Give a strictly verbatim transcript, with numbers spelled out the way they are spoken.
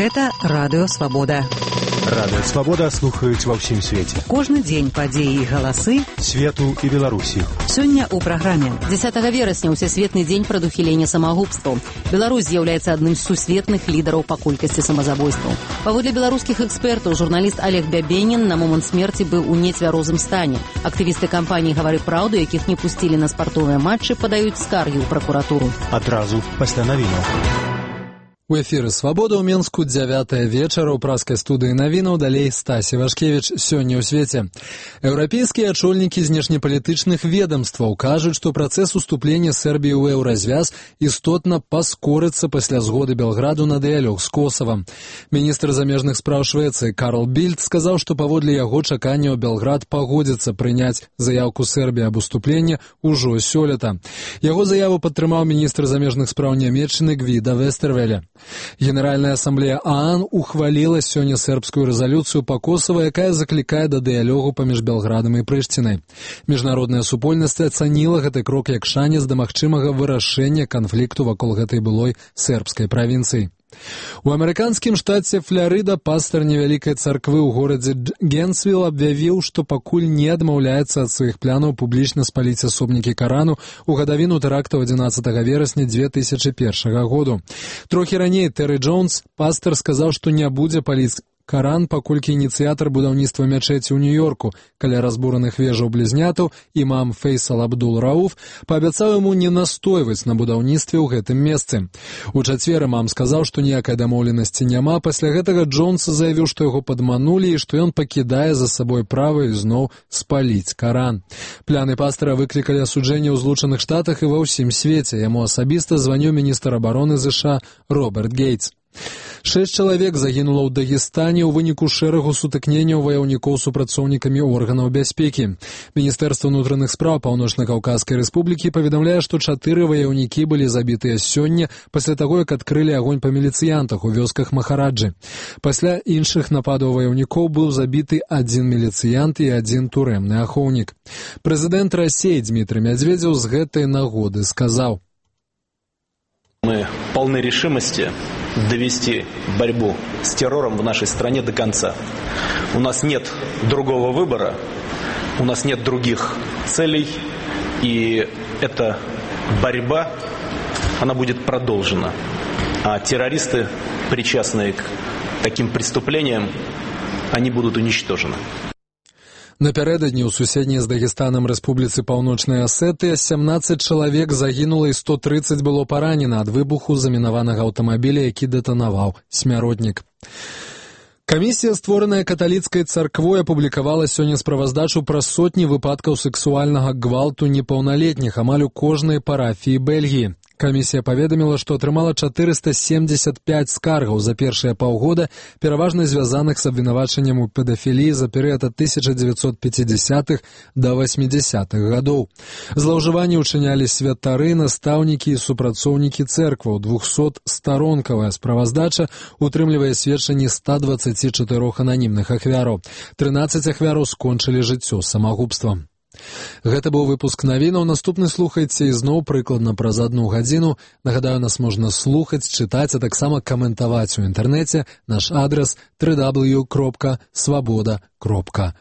Гэта Радыё Свабода. Радыё Свабода слухаюць ва ўсім свеце. Кожны дзень падзеі і галасы свету і Беларусі. Сёння ў праграме. дзесятага верасня ўсесветны дзень прадухілення самагубстваў. Беларусь з'яўляецца адным з сусветных лідараў па колькасці самазабойстваў. Паводле беларускіх экспертаў, журналіст Олег Бябенін на момант смерці быў у нецвярозым стане. Актывісты кампаніі «Гавары праўду», якіх не пусцілі на спартовыя матчы, падаюць скаргі ў пракуратуру. Адразу пасля навінаў. У эфіры «Свабода» ў Менску дзявятая вечара ў праскай студыі навінаў, далей Стасі Вашкевіч. Сёння ў свеце. Еўрапейскія ачольнікі знешнепалітычных ведомстваў кажуць, што працэс уступлення Сербіі ў еўразвяз істотна паскорыцца пасля згоды Белграду на дыялог з Косавам. Міністр замежных спраў Швецыі Карл Більд сказаў, што паводле яго чаканняў Белград пагодзіцца прыняць заявку Сербіі аб уступленні ўжо сёлета. Яго заяву падтрымаў міністр замежных спраў Нямецчыны Гвіда Вестервеля. Генеральная ассамблея ААН ухвалила сёння сербскую резолюцию по Косово, якая закликае да дыялогу паміж Белградам і Прыштінай. Міжнародная супольнасць ацаніла гэты крок як шанец да магчымага вырашэння канфлікту вакол гэтай былой сербскай правінцыі. У амерыканскім штаце Фларыда пастар невялікай царквы ў горадзе Генсвилл аб'явіў, што пакуль не адмаўляецца ад сваіх планаў публічна спаліць асобнікі Карану ў гадавіну тэрактаў адзінаццатага верасня дзве тысячы першага году. Трохі раней Тэры Джонс, пастар, сказаў, што не будзе паліць Каран, паколькі ініцыятар будаўніцтва мячэці ў Нью-Йорку каля разбураных вежаў блізнятаў імам Фейсал Абдул-Рауф паабяцаў яму не настойваць на будаўніцтве ў гэтым месцы. У чацвер імам сказаў, што ніякай дамоўленасці няма. Пасля гэтага Джонс заявіў, што яго падманулі і што ён пакідае за сабой права ізноў спаліць Каран. Пляны пастара выклікалі асуджэнне ў Злучаных Штатах і ва ўсім свеце. Яму асабіста званіў міністр абароны ЗША Роберт Гейтс. Шэсць чалавек загінула ў Дагестане ў выніку шэрагу сутыкненняў ваяўнікоў з супрацоўнікамі органаў бяспекі. Міністэрства ўнутраных спраў Паўночна-Каўказскай рэспублікі паведамляе, што чатыры ваяўнікі былі забітыя сёння пасля таго, як адкрылі агонь па міліцыянтах у вёсках Махараджы. Пасля іншых нападаў ваяўнікоў быў забіты адзін міліцыянт і адзін турэмны ахоўнік. Прэзідэнт Расіі Дмітрый Медведзеў з гэтай нагоды сказаў: «Мы полны решимости довести борьбу с террором в нашей стране до конца. У нас нет другого выбора, у нас нет других целей, и эта борьба, она будет продолжена. А террористы, причастные к таким преступлениям, они будут уничтожены». Напярэдадні ў суседняй з Дагестанам рэспубліцы Паўночнай Асетыя сямнаццаць чалавек загінула і сто трыццаць было паранена ад выбуху замінаванага аўтамабіля, які дэтанаваў смяротнік. Камісія, створаная каталіцкай царквой, апублікавала сёння справаздачу пра сотні выпадкаў сэксуальнага гвалту непаўналетніх амаль у кожнай парафіі Бельгіі. Камісія паведаміла, што атрымала чатырыста семдзесят пяць скаргаў за першыя паўгода, пераважна звязаных з абвінавачаннем у педафіліі за перыяд ад тысяча дзевяцьсот пяцідзясятых да васьмідзясятых гадоў. Злоўжыванні ўчынялі святары, настаўнікі і супрацоўнікі цэркваў. двухсотстаронкавая справаздача утрымлівае сведчанні ста дваццаці чатырох ананімных ахвяраў. трынаццаць ахвяраў скончылі жыццё самагубствам. Гэта быў выпуск навінаў. Наступны слухайце ізноў прыкладна праз адну гадзіну. Нагадаю, нас можна слухаць, чытаць, а таксама каментаваць у інтэрнэце. Наш адрас дабл ю дабл ю дабл ю кропка свабода кропка